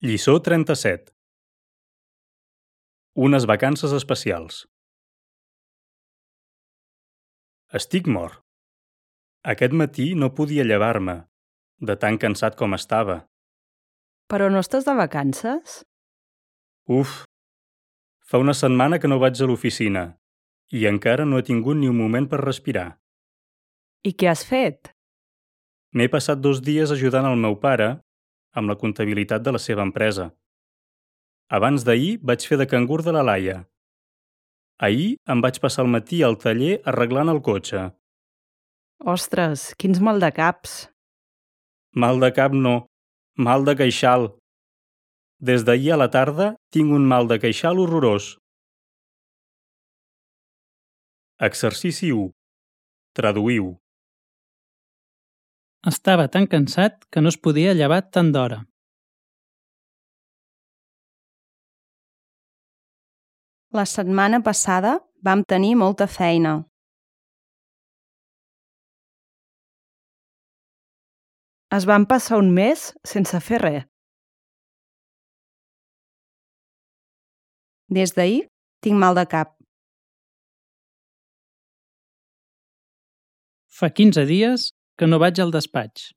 Lliçó 37. Unes vacances especials. Estic mort. Aquest matí no podia llevar-me, de tan cansat com estava. Però no estàs de vacances? Uf! Fa una setmana que no vaig a l'oficina i encara no he tingut ni un moment per respirar. I què has fet? M'he passat 2 dies ajudant el meu pare amb la comptabilitat de la seva empresa. Abans d'ahir vaig fer de cangur de la Laia. Ahir em vaig passar el matí al taller arreglant el cotxe. Ostres, quins maldecaps! Mal de cap no, mal de queixal. Des d'ahir a la tarda tinc un mal de queixal horrorós. Exercici 1. Traduïu. Estava tan cansat que no es podia llevar tant d'hora. La setmana passada vam tenir molta feina. Es van passar un mes sense fer res. Des d'ahir tinc mal de cap. Fa 15 dies que no vaig al despatx.